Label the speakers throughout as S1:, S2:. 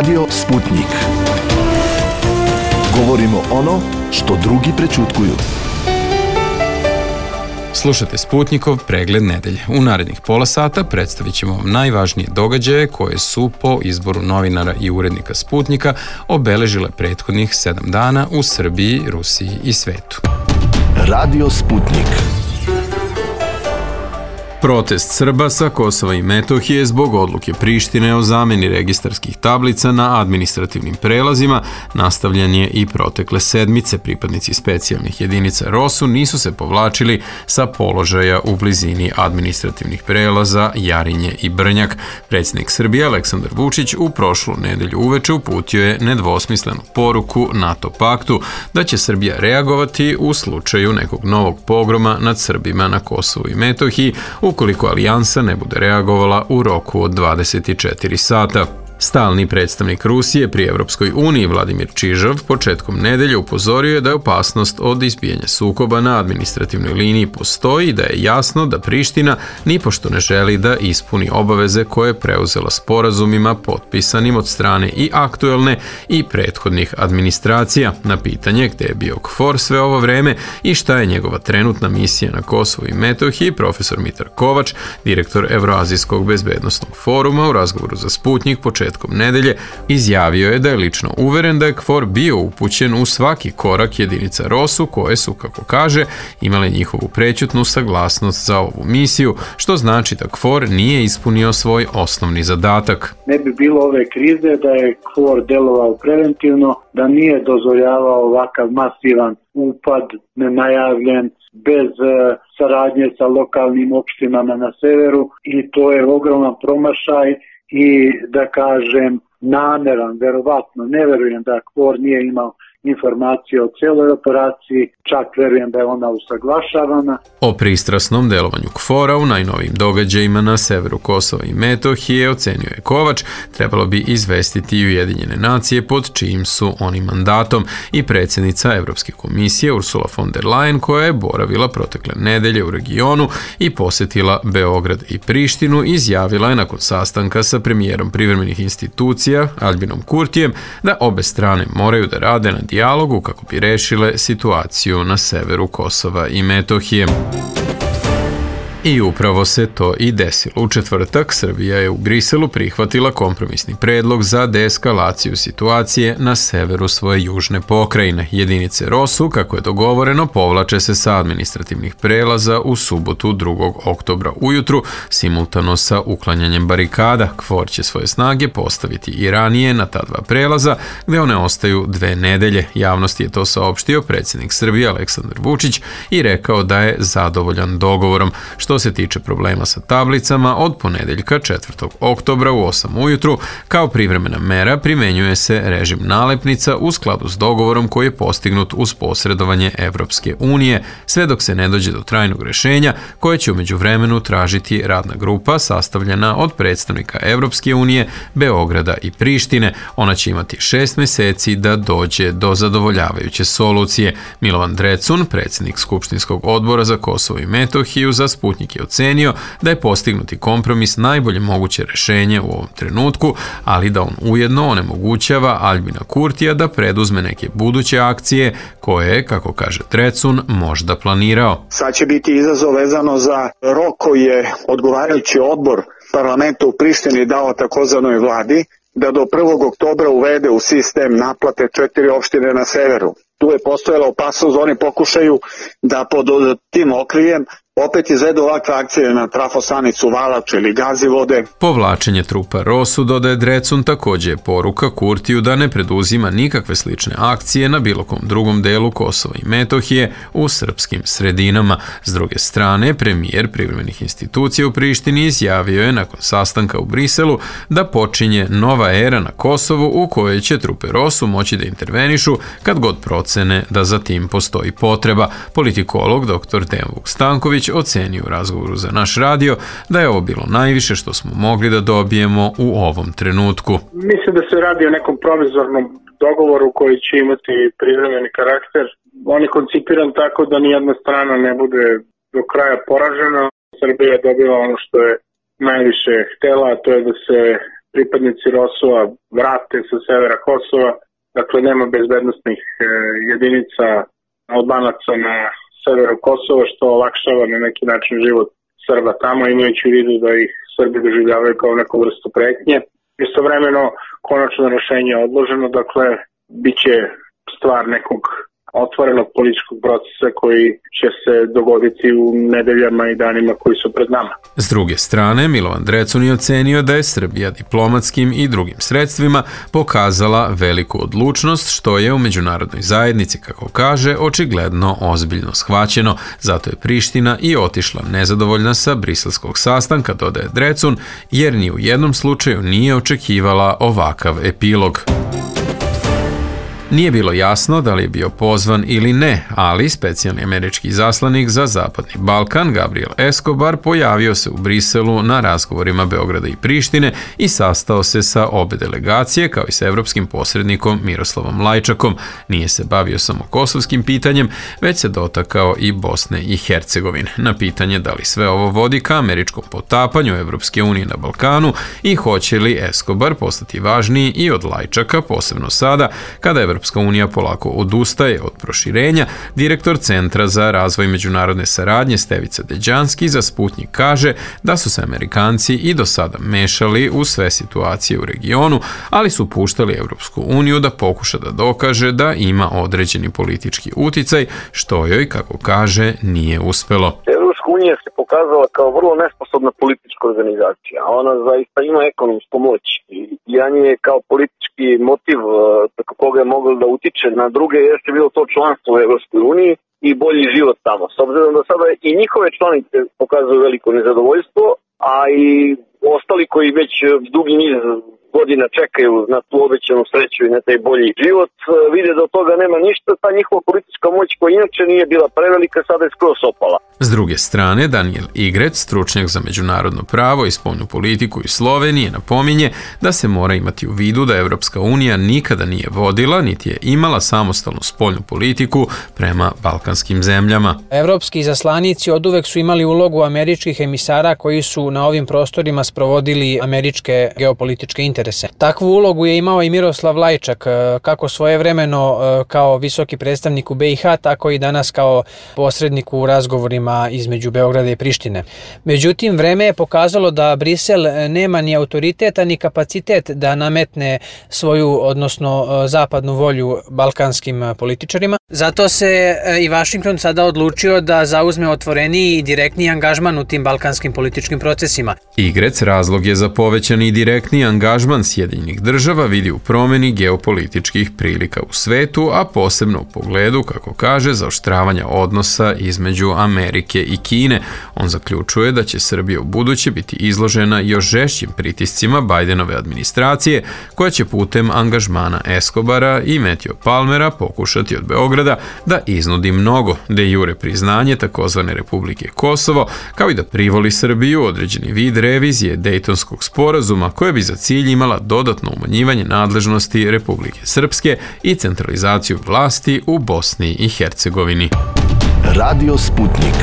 S1: Radio Sputnik. Govorimo ono što drugi prećutkuju.
S2: Slušate Sputnikov pregled nedelje. U narednih pola sata predstavit ćemo vam najvažnije događaje koje su po izboru novinara i urednika Sputnika obeležile prethodnih 7 dana u Srbiji, Rusiji i svetu.
S1: Radio Sputnik.
S2: Protest Srba sa Kosova i Metohije zbog odluke Prištine o zameni registarskih tablica na administrativnim prelazima nastavljen je i protekle sedmice. Pripadnici specijalnih jedinica ROSU nisu se povlačili sa položaja u blizini administrativnih prelaza Jarinje i Brnjak. Predsjednik Srbije Aleksandar Vučić u prošlu nedelju uveče uputio je nedvosmislenu poruku NATO paktu da će Srbija reagovati u slučaju nekog novog pogroma nad Srbima na Kosovu i Metohiji ukoliko alijansa ne bude reagovala u roku od 24 sata. Stalni predstavnik Rusije pri Evropskoj uniji Vladimir Čižov početkom nedelje upozorio je da je opasnost od izbijanja sukoba na administrativnoj liniji postoji i da je jasno da Priština nipošto ne želi da ispuni obaveze koje je preuzela sporazumima potpisanim od strane i aktuelne i prethodnih administracija. Na pitanje gde je bio KFOR sve ovo vreme i šta je njegova trenutna misija na Kosovu i Metohiji, profesor Mitar Kovač, direktor Evroazijskog bezbednosnog foruma, u razgovoru za Sputnik početkom nedelje izjavio je da je lično uveren da je KFOR bio upućen u svaki korak jedinica ROSU koje su, kako kaže, imale njihovu prećutnu saglasnost za ovu misiju, što znači da KFOR nije ispunio svoj osnovni zadatak.
S3: Ne bi bilo ove krize da je KFOR delovao preventivno, da nije dozvoljavao ovakav masivan upad nenajavljen, bez saradnje sa lokalnim opštinama na severu, i to je ogroman promašaj i, da kažem, nameran, verovatno. Ne verujem da KFOR nije imao informacije o cijeloj operaciji, čak verujem da je ona usaglašavana.
S2: O pristrasnom delovanju KFOR-a u najnovijim događajima na severu Kosova i Metohije, ocenio je Kovač, trebalo bi izvestiti i Ujedinjene nacije pod čijim su oni mandatom, i predsjednica Evropske komisije Ursula von der Leyen, koja je boravila protekle nedelje u regionu i posjetila Beograd i Prištinu, izjavila je nakon sastanka sa premijerom privremenih institucija Aljbinom Kurtijem da obe strane moraju da rade na dijalogu kako bi rešile situaciju na severu Kosova i Metohije. I upravo se to i desilo. U četvrtak Srbija je u Briselu prihvatila kompromisni predlog za deeskalaciju situacije na severu svoje južne pokrajine. Jedinice ROSU, kako je dogovoreno, povlače se sa administrativnih prelaza u subotu 2. oktobra ujutru, simultano sa uklanjanjem barikada. KFOR će svoje snage postaviti i ranije na ta dva prelaza, gde one ostaju 2 nedelje. Javnosti je to saopštio predsjednik Srbije Aleksandar Vučić i rekao da je zadovoljan dogovorom. Što se tiče problema sa tablicama, od ponedeljka 4. oktobra u 8 ujutru kao privremena mera primenjuje se režim nalepnica u skladu s dogovorom koji je postignut uz posredovanje Evropske unije, sve dok se ne dođe do trajnog rešenja koje će u međuvremenu tražiti radna grupa sastavljena od predstavnika Evropske unije, Beograda i Prištine. Ona će imati 6 meseci da dođe do zadovoljavajuće solucije. Milovan Drecun, predsjednik Skupštinskog odbora za Kosovo i Metohiju, za Sputnik je ocenio da je postignuti kompromis najbolje moguće rešenje u ovom trenutku, ali da on ujedno onemogućava Aljbina Kurtija da preduzme neke buduće akcije koje je, kako kaže Drecun, možda planirao.
S4: Sad će biti izazov vezano za rok koji je odgovarajući odbor parlamenta u Prištini dao takozvanoj vladi da do 1. oktobra uvede u sistem naplate 4 opštine na severu. Tu je postojala opasnost da oni pokušaju da pod tim okriljem opet izvedu ovakve akcije na trafostanicu Valač ili Gazivode.
S2: Povlačenje trupa ROSU, dodaje Drecun, također je poruka Kurtiju da ne preduzima nikakve slične akcije na bilo kom drugom delu Kosova i Metohije u srpskim sredinama. S druge strane, premijer privremenih institucija u Prištini izjavio je nakon sastanka u Briselu da počinje nova era na Kosovu u kojoj će trupe ROSU moći da intervenišu kad god procene da za tim postoji potreba. Politikolog dr. Dejan Vuk Stanković ocenio u razgovoru za naš radio da je ovo bilo najviše što smo mogli da dobijemo u ovom trenutku.
S3: Mislim da se radi o nekom provizornom dogovoru koji će imati privremeni karakter. On je koncipiran tako da nijedna strana ne bude do kraja poražena. Srbija je dobila ono što je najviše htela, a to je da se
S5: pripadnici ROSU-a vrate sa severa Kosova. Dakle, nema bezbednostnih jedinica Albanaca na severu Kosova, što olakšava na neki način život Srba tamo, imajući u vidu da ih Srbi doživljavaju kao neku vrstu pretnje. Istovremeno, konačno rešenje je odloženo, dakle, bit će stvar nekog otvorenog političkog procesa koji će se dogoditi u nedeljama i danima koji su pred nama.
S2: S druge strane, Milovan Drecun je ocenio da je Srbija diplomatskim i drugim sredstvima pokazala veliku odlučnost, što je u međunarodnoj zajednici, kako kaže, očigledno ozbiljno shvaćeno. Zato je Priština i otišla nezadovoljna sa briselskog sastanka, dodaje Drecun, jer ni u jednom slučaju nije očekivala ovakav epilog. Nije bilo jasno da li je bio pozvan ili ne, ali specijalni američki izaslanik za Zapadni Balkan, Gabriel Escobar, pojavio se u Briselu na razgovorima Beograda i Prištine i sastao se sa obe delegacije, kao i sa evropskim posrednikom Miroslavom Lajčakom. Nije se bavio samo kosovskim pitanjem, već se dotakao i Bosne i Hercegovine. Na pitanje da li sve ovo vodi ka američkom potapanju Evropske unije na Balkanu i hoće li Escobar postati važniji i od Lajčaka, posebno sada, kada Evropska unija polako odustaje od proširenja, direktor Centra za razvoj međunarodne saradnje Stevica Deđanski za Sputnjik kaže da su se Amerikanci i do sada mešali u sve situacije u regionu, ali su puštali Evropsku uniju da pokuša da dokaže da ima određeni politički uticaj, što joj, kako kaže, nije uspelo.
S6: Evropska unija se pokazala kao vrlo nesposobna politička organizacija, a ona zaista ima ekonomsku moć i jedan je kao politički motiv preko koga je moglo da utiče na druge jeste bilo to članstvo u Evropskoj uniji i bolji život tamo. S obzirom da sada i njihove članice pokazuju veliko nezadovoljstvo, a i ostali koji već dugi niz godina čekaju na tu obećanu sreću i na taj bolji život, vide da od toga nema ništa, ta njihova politička moć koja inače nije bila prevelika, sada je skroz opala.
S2: S druge strane, Daniel Igrec, stručnjak za međunarodno pravo i spoljnu politiku iz Slovenije, napominje da se mora imati u vidu da Evropska unija nikada nije vodila, niti je imala samostalnu spoljnu politiku prema balkanskim zemljama.
S7: Evropski izaslanici oduvek su imali ulogu američkih emisara koji su na ovim prostorima sprovodili američke geopolitičke interese. Takvu ulogu je imao i Miroslav Lajčak, kako svojevremeno kao visoki predstavnik u BiH, tako i danas kao posrednik u razgovorima između Beograda i Prištine. Međutim, vreme je pokazalo da Brisel nema ni autoriteta ni kapacitet da nametne svoju, odnosno zapadnu volju balkanskim političarima. Zato se i Vašington sada odlučio da zauzme otvoreniji i direktniji angažman u tim balkanskim političkim procesima.
S2: Igrec razlog je za povećani i direktni angažman Sjedinjenih država vidi u promeni geopolitičkih prilika u svetu, a posebno u pogledu, kako kaže, zaoštravanja odnosa između Amerike i Kine. On zaključuje da će Srbija u buduće biti izložena još žešćim pritiscima Bajdenove administracije, koja će putem angažmana Escobara i Matthew Palmera pokušati od Beograda da iznudi mnogo de jure priznanje takozvane Republike Kosovo, kao i da privoli Srbiju određeni vid revizije Dejtonskog sporazuma, koje bi za cilj imala dodatno umanjivanje nadležnosti Republike Srpske i centralizaciju vlasti u Bosni i Hercegovini.
S1: Radio Sputnik.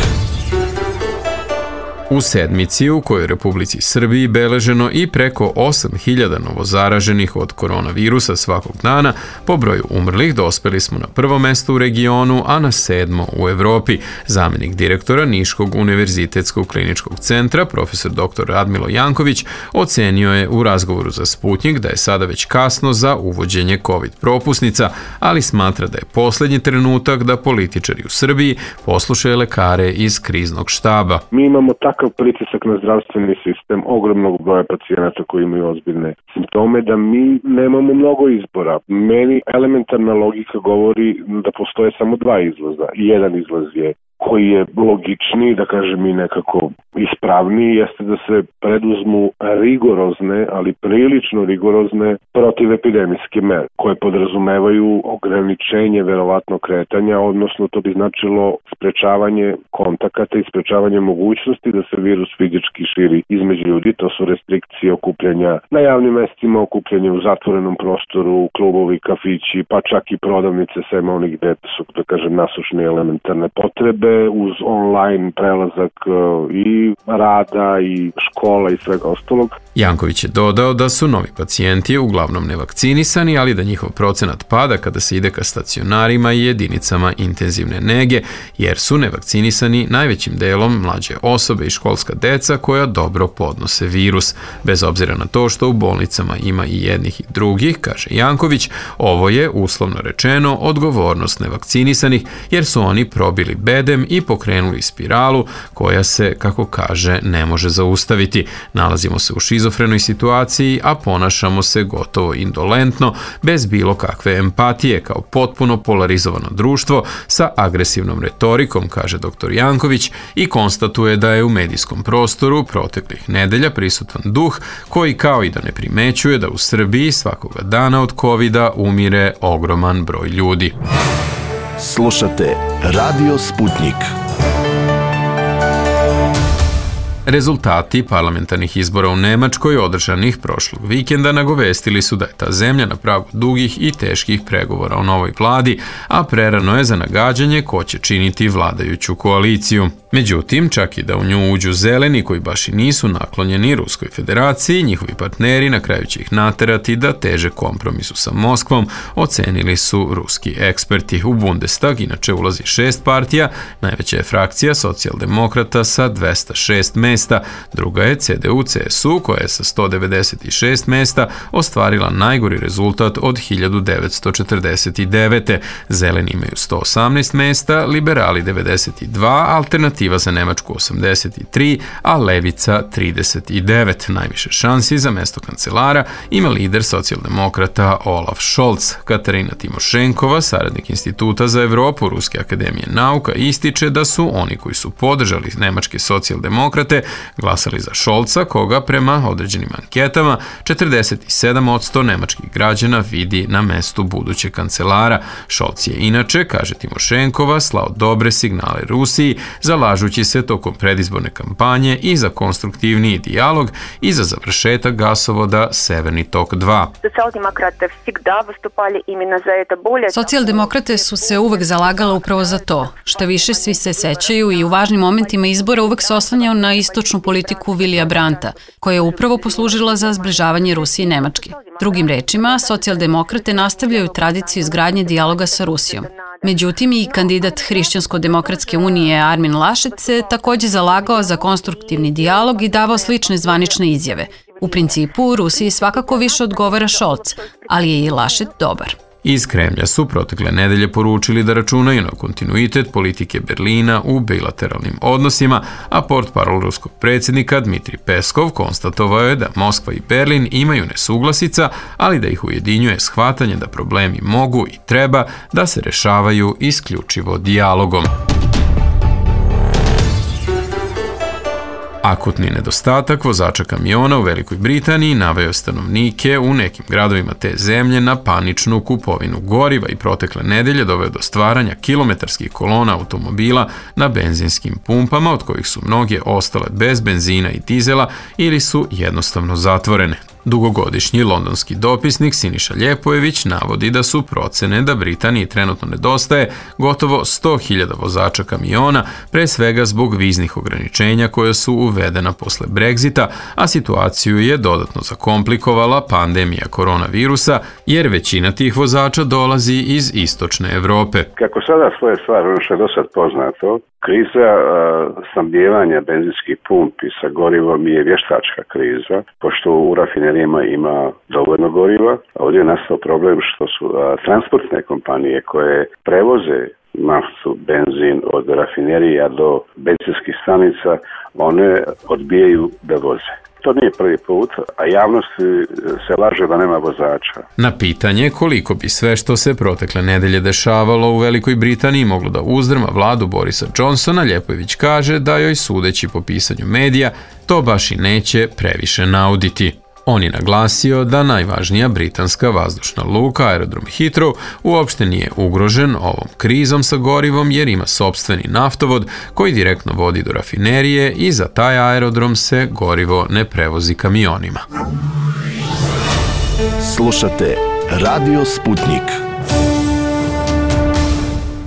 S2: U sedmici u kojoj Republici Srbiji beleženo i preko 8.000 novozaraženih od koronavirusa svakog dana, po broju umrlih dospeli smo na prvo mesto u regionu, a na 7. u Evropi. Zamenik direktora Niškog univerzitetskog kliničkog centra, profesor dr. Radmilo Janković, ocenio je u razgovoru za Sputnjik da je sada već kasno za uvođenje COVID propusnica, ali smatra da je posljednji trenutak da političari u Srbiji poslušaju lekare iz kriznog štaba.
S8: Mi imamo takav pritisak na zdravstveni sistem, ogromnog broja pacijenata koji imaju ozbiljne simptome, da mi nemamo mnogo izbora. Meni elementarna logika govori da postoje samo dva izlaza. Jedan izlaz je koji je logičniji, da kažem i nekako ispravniji, jeste da se preduzmu rigorozne, ali prilično rigorozne protivepidemijske mere, koje podrazumevaju ograničenje verovatno kretanja, odnosno to bi značilo sprečavanje kontakata i sprečavanje mogućnosti da se virus fizički širi između ljudi. To su restrikcije okupljanja na javnim mestima, okupljanje u zatvorenom prostoru, klubovi, kafići, pa čak i prodavnice, sem onih gde su, da kažem, nasušne elementarne potrebe. potrebe uz online prelazak i rada i škola i svega ostalog.
S2: Janković je dodao da su novi pacijenti uglavnom nevakcinisani, ali da njihov procenat pada kada se ide ka stacionarima i jedinicama intenzivne nege, jer su nevakcinisani najvećim delom mlađe osobe i školska deca koja dobro podnose virus. Bez obzira na to što u bolnicama ima i jednih i drugih, kaže Janković, ovo je, uslovno rečeno, odgovornost nevakcinisanih, jer su oni probili bedem i pokrenuli spiralu koja se, kako kaže, ne može zaustaviti. Nalazimo se u šizofrenoj situaciji, a ponašamo se gotovo indolentno, bez bilo kakve empatije, kao potpuno polarizovano društvo sa agresivnom retorikom, kaže dr. Janković, i konstatuje da je u medijskom prostoru proteklih nedelja prisutan duh koji kao i da ne primećuje da u Srbiji svakoga dana od covida umire ogroman broj ljudi.
S1: Slušate Radio Sputnik.
S2: Rezultati parlamentarnih izbora u Nemačkoj održanih prošlog vikenda nagovestili su da je ta zemlja na pragu dugih i teških pregovora o novoj vladi, a prerano je za nagađanje ko će činiti vladajuću koaliciju. Međutim, čak i da u nju uđu zeleni koji baš i nisu naklonjeni Ruskoj federaciji, njihovi partneri na kraju će ih naterati da teže kompromisu sa Moskvom, ocenili su ruski eksperti. U Bundestag inače ulazi 6 partija, najveća je frakcija socijaldemokrata sa 206 mesta, druga je CDU-CSU koja je sa 196 mesta ostvarila najgori rezultat od 1949. Zeleni imaju 118 mesta, liberali 92, alternativa za Nemačku 83, a levica 39. Najviše šansi za mesto kancelara ima lider socijaldemokrata Olaf Scholz. Katarina Timošenkova, saradnik Instituta za Evropu Ruske akademije nauka, ističe da su oni koji su podržali nemačke socijaldemokrate glasali za Scholza, koga prema određenim anketama 47% nemačkih građana vidi na mestu budućeg kancelara. Scholz je inače, kaže Timošenkova, slao dobre signale Rusiji, zalažući se tokom predizborne kampanje i za konstruktivniji dijalog i za završetak gasovoda Severni tok 2.
S9: Socijaldemokrate su se uvek zalagala upravo za to. Šta više, svi se sećaju i u važnim momentima izbora uvek se oslanjao na istočnu politiku Vilija Brandta, koja je upravo poslužila za zbližavanje Rusije i Nemačke. Drugim rečima, socijaldemokrate nastavljaju tradiciju izgradnje dijaloga sa Rusijom. Međutim, i kandidat Hrišćansko-demokratske unije Armin Laschet se takođe zalagao za konstruktivni dijalog i davao slične zvanične izjave. U principu, Rusiji svakako više odgovara Scholz, ali je i Laschet dobar.
S2: Iz Kremlja su protekle nedelje poručili da računaju na kontinuitet politike Berlina u bilateralnim odnosima, a portparol ruskog predsjednika Dmitrij Peskov konstatovao je da Moskva i Berlin imaju nesuglasica, ali da ih ujedinjuje shvatanje da problemi mogu i treba da se rešavaju isključivo dijalogom. Akutni nedostatak vozača kamiona u Velikoj Britaniji naveo stanovnike u nekim gradovima te zemlje na paničnu kupovinu goriva i protekle nedelje doveo do stvaranja kilometarskih kolona automobila na benzinskim pumpama, od kojih su mnoge ostale bez benzina i dizela ili su jednostavno zatvorene. Dugogodišnji londonski dopisnik Siniša Ljepojević navodi da su procene da Britaniji trenutno nedostaje gotovo 100.000 vozača kamiona, pre svega zbog viznih ograničenja koja su uvedena posle Brexita, a situaciju je dodatno zakomplikovala pandemija koronavirusa, jer većina tih vozača dolazi iz istočne Evrope.
S10: Kako sada svoje stvari, ono što je do sad poznato, kriza snabdijevanja benzinskih pumpi sa gorivom je vještačka kriza, pošto u rafinerijama ima dovoljno goriva. Ovdje je nastao problem što su transportne kompanije koje prevoze naftu, benzin od rafinerija do benzinskih stanica, one odbijaju da voze. To nije prvi put, a javnost se laže da nema vozača.
S2: Na pitanje koliko bi sve što se protekle nedelje dešavalo u Velikoj Britaniji moglo da uzdrma vladu Borisa Johnsona, Ljepojević kaže da joj, sudeći po pisanju medija, to baš i neće previše nauditi. On je naglasio da najvažnija britanska vazdušna luka, aerodrom Heathrow, uopšte nije ugrožen ovom krizom sa gorivom jer ima sopstveni naftovod koji direktno vodi do rafinerije i za taj aerodrom se gorivo ne prevozi kamionima.
S1: Slušate Radio Sputnik.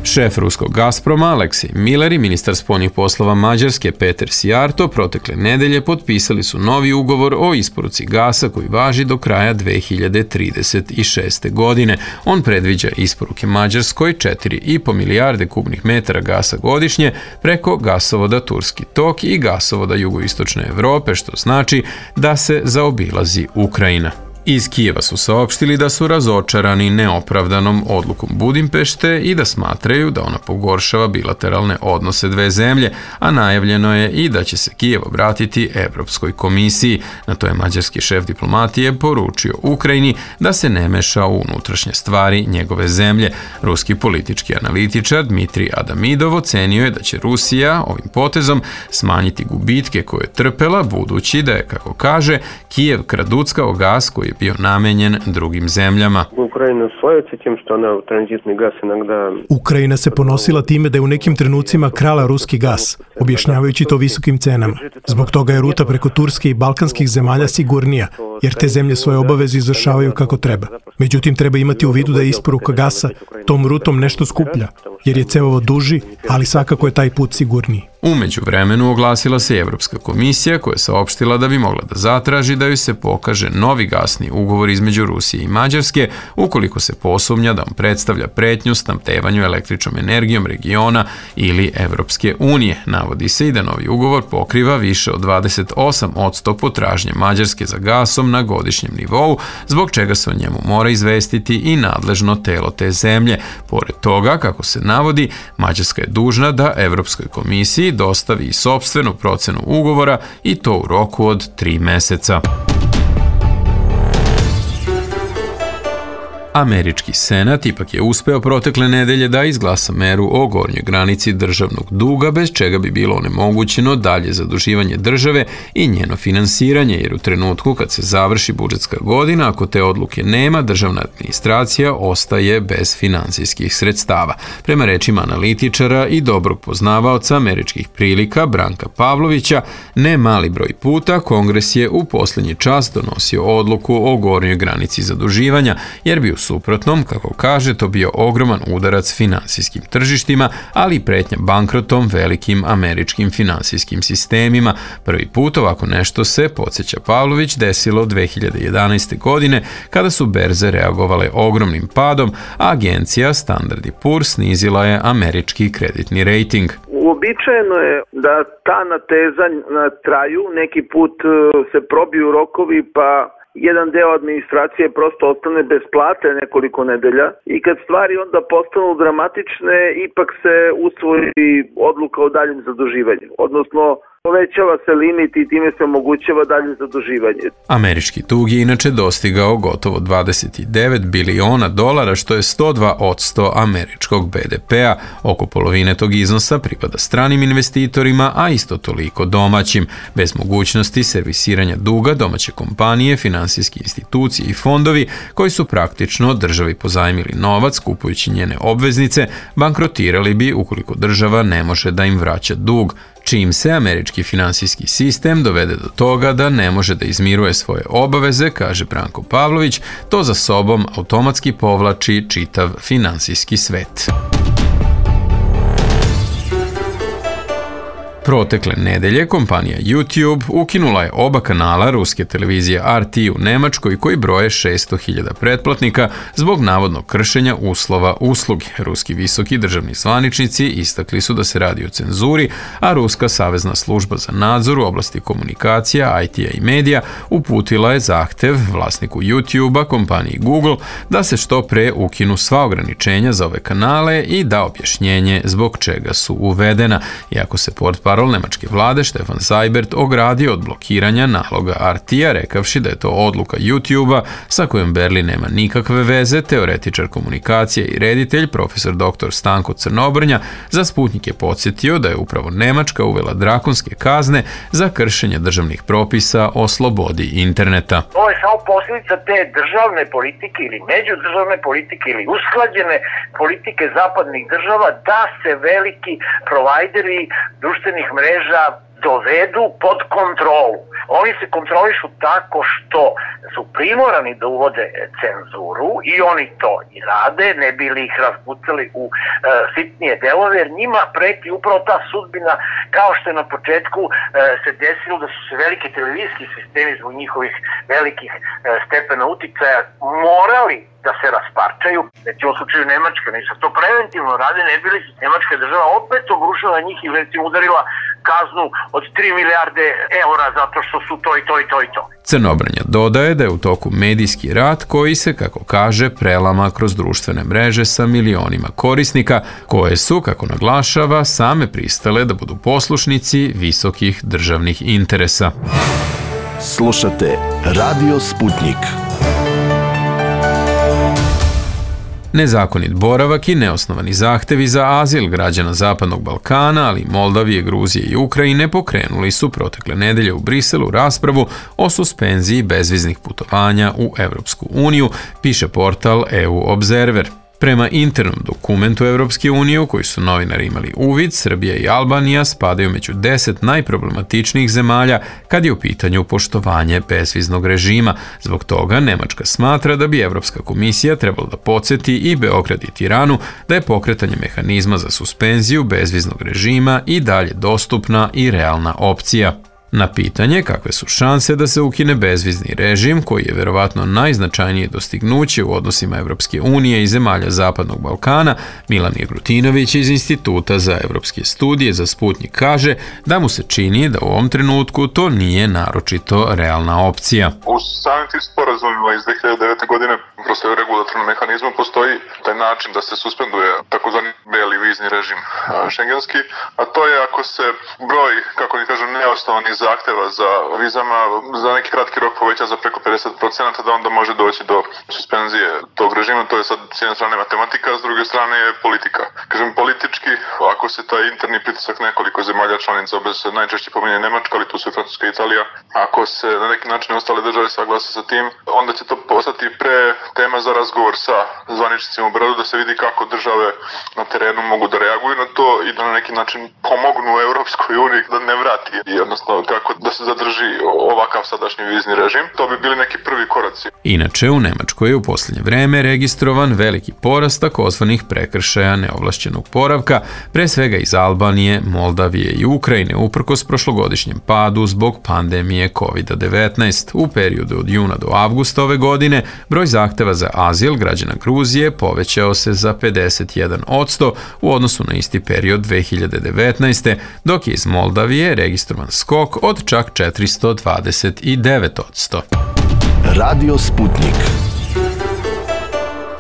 S2: Šef ruskog Gazproma Aleksej Miller i ministar spoljnih poslova Mađarske Peter Sijarto protekle nedelje potpisali su novi ugovor o isporuci gasa koji važi do kraja 2036. godine. On predviđa isporuke Mađarskoj 4,5 milijarde kubnih metara gasa godišnje preko gasovoda Turski tok i gasovoda jugoistočne Evrope, što znači da se zaobilazi Ukrajina. Iz Kijeva su saopštili da su razočarani neopravdanom odlukom Budimpešte i da smatraju da ona pogoršava bilateralne odnose dve zemlje, a najavljeno je i da će se Kijev obratiti Evropskoj komisiji. Na to je mađarski šef diplomatije poručio Ukrajini da se ne meša u unutrašnje stvari njegove zemlje. Ruski politički analitičar Dmitrij Adamidov ocenio je da će Rusija ovim potezom smanjiti gubitke koje je trpela, budući da je, kako kaže, Kijev kraduckao gas koji je bio namenjen drugim zemljama.
S11: Ukrajina se ponosila time da je u nekim trenucima krala ruski gas, objašnjavajući to visokim cenama. Zbog toga je ruta preko Turske i balkanskih zemalja sigurnija, jer te zemlje svoje obaveze izvršavaju kako treba. Međutim, treba imati u vidu da je isporuka gasa tom rutom nešto skuplja, jer je cevovod duži, ali svakako je taj put sigurniji.
S2: U međuvremenu oglasila se Evropska komisija koja je saopštila da bi mogla da zatraži da joj se pokaže novi gasni ugovor između Rusije i Mađarske ukoliko se posumnja da on predstavlja pretnju snabdevanju električnom energijom regiona ili Evropske unije. Navodi se i da novi ugovor pokriva više od 28% potražnje Mađarske za gasom na godišnjem nivou, zbog čega se o njemu mora izvestiti i nadležno telo te zemlje. Pored toga, kako se navodi, Mađarska je dužna da Evropskoj komisiji dostavi i sopstvenu procenu ugovora i to u roku od 3 meseca. Američki senat ipak je uspeo protekle nedelje da izglasa meru o gornjoj granici državnog duga, bez čega bi bilo onemogućeno dalje zaduživanje države i njeno finansiranje, jer u trenutku kad se završi budžetska godina, ako te odluke nema, državna administracija ostaje bez finansijskih sredstava. Prema rečima analitičara i dobrog poznavaoca američkih prilika Branka Pavlovića, ne mali broj puta Kongres je u posljednji čas donosio odluku o gornjoj granici zaduživanja, jer bi u suprotnom, kako kaže, to bio ogroman udarac finansijskim tržištima, ali i pretnja bankrotom velikim američkim finansijskim sistemima. Prvi put ovako nešto se, podsjeća Pavlović, desilo 2011. godine kada su berze reagovale ogromnim padom, a agencija Standard & Poor's snizila je američki kreditni rejting.
S12: Uobičajeno je da ta natezanja traju, neki put se probiju rokovi pa jedan deo administracije prosto ostane bez plate nekoliko nedelja i kad stvari onda postanu dramatične, ipak se usvoji odluka o daljem zaduživanju, odnosno povećava se limit i time se omogućava dalje zaduživanje.
S2: Američki dug je inače dostigao gotovo $29 biliona, što je 102% američkog BDP-a. Oko polovine tog iznosa pripada stranim investitorima, a isto toliko domaćim. Bez mogućnosti servisiranja duga, domaće kompanije, finansijske institucije i fondovi koji su praktično državi pozajmili novac kupujući njene obveznice, bankrotirali bi ukoliko država ne može da im vraća dug. Čim se američki finansijski sistem dovede do toga da ne može da izmiruje svoje obaveze, kaže Branko Pavlović, to za sobom automatski povlači čitav finansijski svet. Protekle nedelje kompanija YouTube ukinula je oba kanala ruske televizije RT u Nemačkoj koji broje 600.000 pretplatnika zbog navodnog kršenja uslova usluge. Ruski visoki državni zvaničnici istakli su da se radi o cenzuri, a Ruska savezna služba za nadzor u oblasti komunikacija, IT-a i medija uputila je zahtev vlasniku YouTube-a, kompaniji Google, da se što pre ukinu sva ograničenja za ove kanale i da objašnjenje zbog čega su uvedena. Iako se portparol nemačke vlade Stefan Seibert ogradio od blokiranja naloga RT-a, rekavši da je to odluka YouTube-a sa kojom Berlin nema nikakve veze, teoretičar komunikacije i reditelj profesor dr. Stanko Crnobrnja za Sputnik je podsjetio da je upravo Nemačka uvela drakonske kazne za kršenje državnih propisa o slobodi interneta.
S13: To je samo posljedica te državne politike ili međudržavne politike ili usklađene politike zapadnih država da se veliki provajderi društvenih mreža dovedu pod kontrolu. Oni se kontrolišu tako što su primorani da uvode cenzuru i oni to i rade, ne bi li ih razpucali u sitnije delove, jer njima preti upravo ta sudbina, kao što je na početku se desilo da su se velike televizijski sistemi zbog njihovih velikih stepena uticaja morali da se rasparčaju. Recimo u slučaju Nemačke, oni su to preventivno rade, ne bi li se Nemačka država opet obrušila na njih i recimo udarila kaznu od 3 milijarde eura zato što su to i to i to i to.
S2: Crnobranja dodaje da je u toku medijski rat koji se, kako kaže, prelama kroz društvene mreže sa milionima korisnika koje su, kako naglašava, same pristale da budu poslušnici visokih državnih interesa.
S1: Slušate Radio Sputnik.
S2: Nezakonit boravak i neosnovani zahtevi za azil građana Zapadnog Balkana, ali i Moldavije, Gruzije i Ukrajine pokrenuli su protekle nedelje u Briselu raspravu o suspenziji bezviznih putovanja u Evropsku uniju, piše portal EU Observer. Prema internom dokumentu Evropske unije u koji su novinari imali uvid, Srbija i Albanija spadaju među 10 najproblematičnijih zemalja kad je u pitanju poštovanje bezviznog režima. Zbog toga Nemačka smatra da bi Evropska komisija trebala da podsjeti i Beograd i Tiranu da je pokretanje mehanizma za suspenziju bezviznog režima i dalje dostupna i realna opcija. Na pitanje kakve su šanse da se ukine bezvizni režim, koji je verovatno najznačajnije dostignuće u odnosima Evropske unije i zemalja Zapadnog Balkana, Milan Jegrutinović iz Instituta za evropske studije za Sputnik kaže da mu se čini da u ovom trenutku to nije naročito realna opcija.
S14: U samim tim sporazumima iz 2009. godine kroz regulatornom mehanizmu postoji taj način da se suspenduje takozvani beli vizni režim šengenski, a to je ako se broj, kako ni kažu, neosnovanih zahteva za vizama za neki kratki rok poveća za preko 50%, da onda može doći do suspenzije tog režima. To je sad s jedne strane matematika, a s druge strane je politika. Kažem, politički, ako se taj interni pritisak nekoliko zemalja članica, bez se najčešće pominje Nemačka, ali tu su i Francuska i Italija, ako se na neki način ostale države saglase sa tim, onda će to postati pre tema za razgovor sa zvaničnicima u Beogradu, da se vidi kako države na terenu mogu da reaguju na to i da na neki način pomognu Evropskoj uniji da ne vrati, jednostavno kako da se zadrži ovakav sadašnji vizni režim. To bi bili neki prvi koraci.
S2: Inače, u Nemačkoj je u posljednje vreme registrovan veliki porast takozvanih prekršaja neovlašćenog boravka, pre svega iz Albanije, Moldavije i Ukrajine, uprkos prošlogodišnjem padu zbog pandemije COVID-19. U periodu od juna do avgusta ove godine broj zahteva za azil građana Gruzije povećao se za 51% u odnosu na isti period 2019. dok je iz Moldavije registrovan skok od čak 429%.
S1: Radio Sputnik.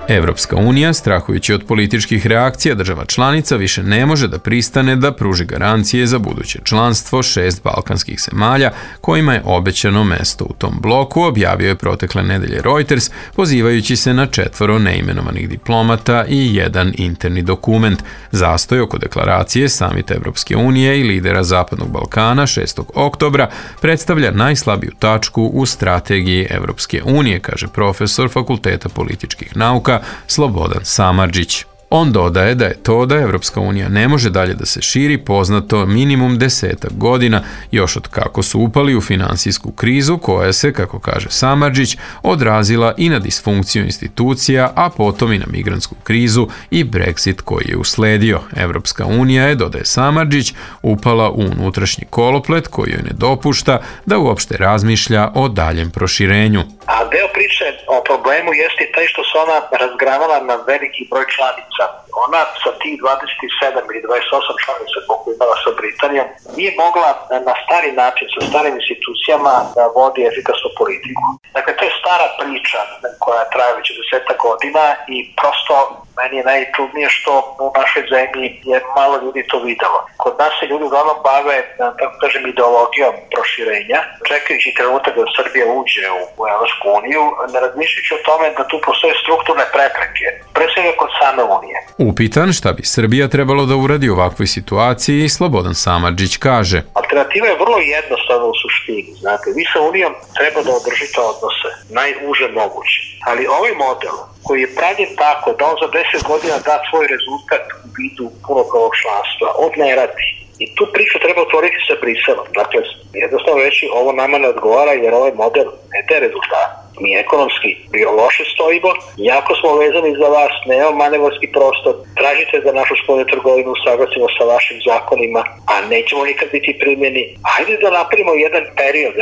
S2: Evropska unija, strahujući od političkih reakcija država članica, više ne može da pristane da pruži garancije za buduće članstvo 6 balkanskih zemalja kojima je obećano mesto u tom bloku, objavio je protekle nedelje Reuters, pozivajući se na 4 neimenovanih diplomata i jedan interni dokument. Zastoj oko deklaracije Samita Evropske unije i lidera Zapadnog Balkana 6. oktobra predstavlja najslabiju tačku u strategiji Evropske unije, kaže profesor Fakulteta političkih nauka Slobodan Samardžić. On dodaje da je to da Evropska unija ne može dalje da se širi poznato minimum 10 godina, još od kako su upali u finansijsku krizu koja se, kako kaže Samardžić, odrazila i na disfunkciju institucija, a potom i na migrantsku krizu i Brexit koji je usledio. Evropska unija je, dodaje Samardžić, upala u unutrašnji koloplet koji joj ne dopušta da uopšte razmišlja o daljem proširenju.
S15: A deo priče o problemu jeste taj što se ona razgranala na veliki broj članica. Ona sa tih 27 ili 28 članica koliko imala sa Britanijom nije mogla na stari način sa starim institucijama da vodi efikasnu politiku. Dakle, to je stara priča koja traje već 10 godina i prosto meni je najčudnije što u našoj zemlji je malo ljudi to videlo. Kod nas se ljudi uglavnom bave, tako kažem, ideologijom proširenja, čekajući trenutak da Srbija uđe u Evropsku uniju, ne razmišljajući o tome da tu postoje strukturne prepreke, pre svega kod same unije.
S2: Upitan šta bi Srbija trebalo da uradi u ovakvoj situaciji, Slobodan Samardžić kaže:
S15: Alternativa je vrlo jednostavna u suštini. Znate, vi sa unijom treba da održite odnose, najuže moguće. Ali ovaj model koji je pravljen tako da on za 10 godina da svoj rezultat u vidu punopravnog članstva, on ne radi. I tu priču treba otvoriti sa Briselom. Dakle, jednostavno reći ovo nama ne odgovara jer ovaj model ne daje rezultat. Mi ekonomski bio loše stojimo, jako smo vezani za vas, nemamo manevarski prostor, tražite da našu spoljnu trgovinu usaglasimo sa vašim zakonima, a nećemo nikad biti primjeni. Hajde da napravimo jedan period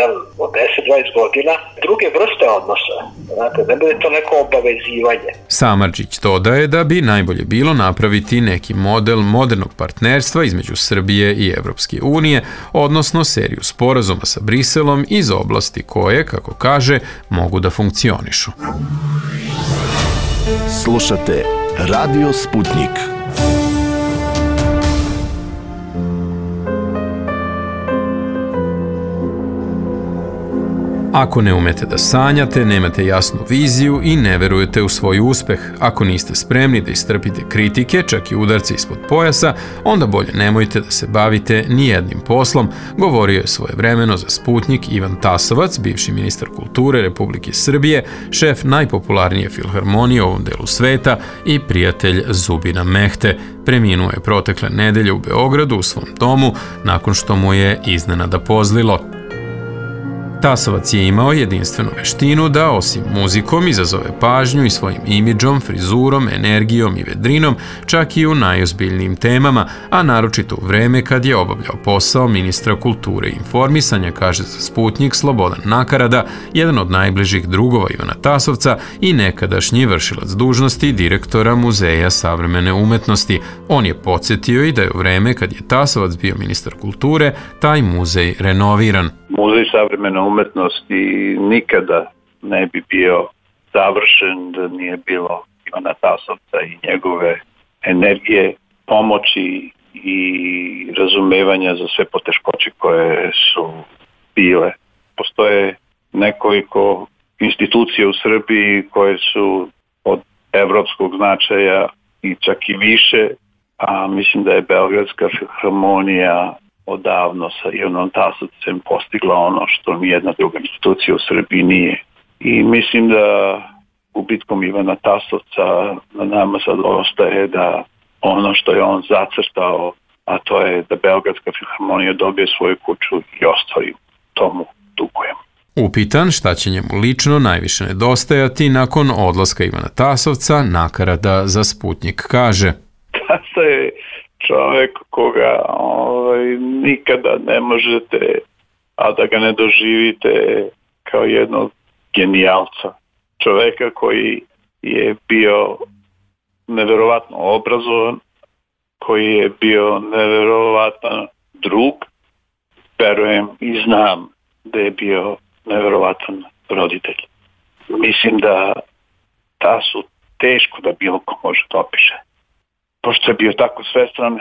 S15: od 10-20 godina, druge vrste odnosa. Znate, ne bude to neko obavezivanje.
S2: Samardžić dodaje da bi najbolje bilo napraviti neki model modernog partnerstva između Srbije i Evropske unije, odnosno seriju sporazuma sa Briselom iz oblasti koje, kako kaže, mogu da funkcionišu.
S1: Slušate Radio Sputnik.
S2: Ako ne umete da sanjate, nemate jasnu viziju i ne verujete u svoj uspeh, ako niste spremni da istrpite kritike, čak i udarce ispod pojasa, onda bolje nemojte da se bavite nijednim poslom, govorio je svojevremeno za Sputnik Ivan Tasovac, bivši ministar kulture Republike Srbije, šef najpopularnije filharmonije u ovom delu sveta i prijatelj Zubina Mehte. Preminuo je protekle nedelje u Beogradu u svom domu nakon što mu je iznenada pozlilo. Tasovac je imao jedinstvenu veštinu da osim muzikom izazove pažnju i svojim imidžom, frizurom, energijom i vedrinom, čak i u najozbiljnijim temama, a naročito u vreme kad je obavljao posao ministra kulture i informisanja, kaže za Sputnik Slobodan Nakarada, jedan od najbližih drugova Ivana Tasovca i nekadašnji vršilac dužnosti direktora Muzeja savremene umetnosti. On je podsjetio i da je u vreme kad je Tasovac bio ministar kulture, taj muzej renoviran.
S16: Muzej savremene umetnosti nikada ne bi bio završen da nije bilo Ivana Tasovca i njegove energije, pomoći i razumevanja za sve poteškoće koje su bile. Postoje nekoliko institucija u Srbiji koje su od evropskog značaja i čak i više, a mislim da je Beogradska filharmonija odavno sa Ivanom Tasovcem postigla ono što nijedna druga institucija u Srbiji nije. I mislim da gubitkom Ivana Tasovca na nama sad ostaje da ono što je on zacrtao, a to je da Beogradska filharmonija dobije svoju kuću i ostvari, tomu dugujem.
S2: Upitan šta će njemu lično najviše nedostajati nakon odlaska Ivana Tasovca, Nakarada za Sputnik kaže:
S16: Tasa je čovek koga nikada ne možete, a da ga ne doživite kao jednog genijalca. Čoveka koji je bio neverovatno obrazovan, koji je bio neverovatan drug, verujem i znam da je bio neverovatan roditelj. Mislim da Tasu teško da bilo ko može da opiše. Pošto je bio tako svestran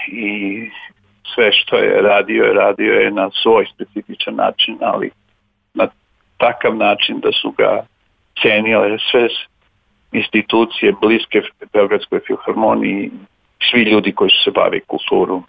S16: i sve što je radio je na svoj specifičan način, ali na takav način da su ga cenile sve institucije bliske Beogradskoj filharmoniji, svi ljudi koji su se bavili kulturom.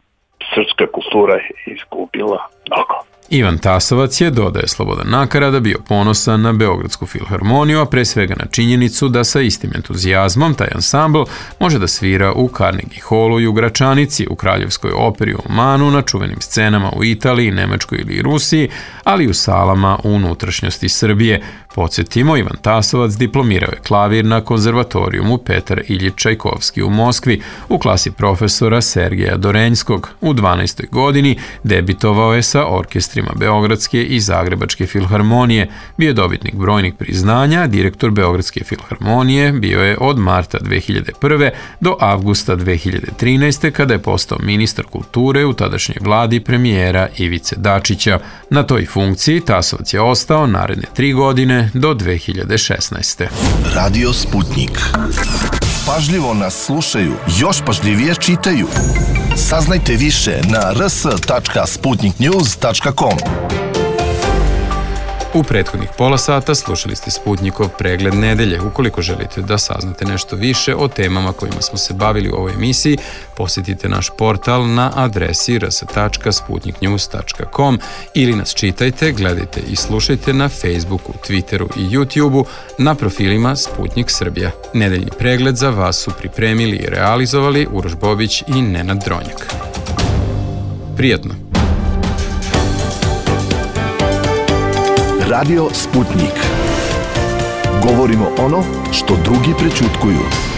S16: Srpska kultura je izgubila mnogo.
S2: Ivan Tasovac je, dodaje Slobodan Nakarada, bio ponosan na Beogradsku filharmoniju, a pre svega na činjenicu da sa istim entuzijazmom taj ansambl može da svira u Carnegie Hallu i u Gračanici, u Kraljevskoj operi u Omanu, na čuvenim scenama u Italiji, Nemačkoj ili Rusiji, ali i u salama u unutrašnjosti Srbije. Podsjetimo, Ivan Tasovac diplomirao je klavir na konzervatorijumu Petar Iljič Čajkovski u Moskvi u klasi profesora Sergeja Dorenjskog. U 12. godini debitovao je sa orkestrima Beogradske i Zagrebačke filharmonije, bio je dobitnik brojnih priznanja, direktor Beogradske filharmonije bio je od marta 2001. do avgusta 2013. kada je postao ministar kulture u tadašnjoj vladi premijera Ivice Dačića. Na toj funkciji Tasovac je ostao naredne 3 godine do 2016.
S1: Radio Sputnik. Pažljivo nas slušaju, još pažljivije čitaju. Saznajte više na rs.sputniknews.com.
S2: U prethodnih pola sata slušali ste Sputnikov pregled nedelje. Ukoliko želite da saznate nešto više o temama kojima smo se bavili u ovoj emisiji, posjetite naš portal na adresi rs.sputniknews.com ili nas čitajte, gledajte i slušajte na Facebooku, Twitteru i YouTubeu na profilima Sputnik Srbija. Nedeljni pregled za vas su pripremili i realizovali Uroš Bobić i Nenad Dronjak. Prijatno.
S1: Radio Sputnik. Govorimo ono što drugi prećutkuju.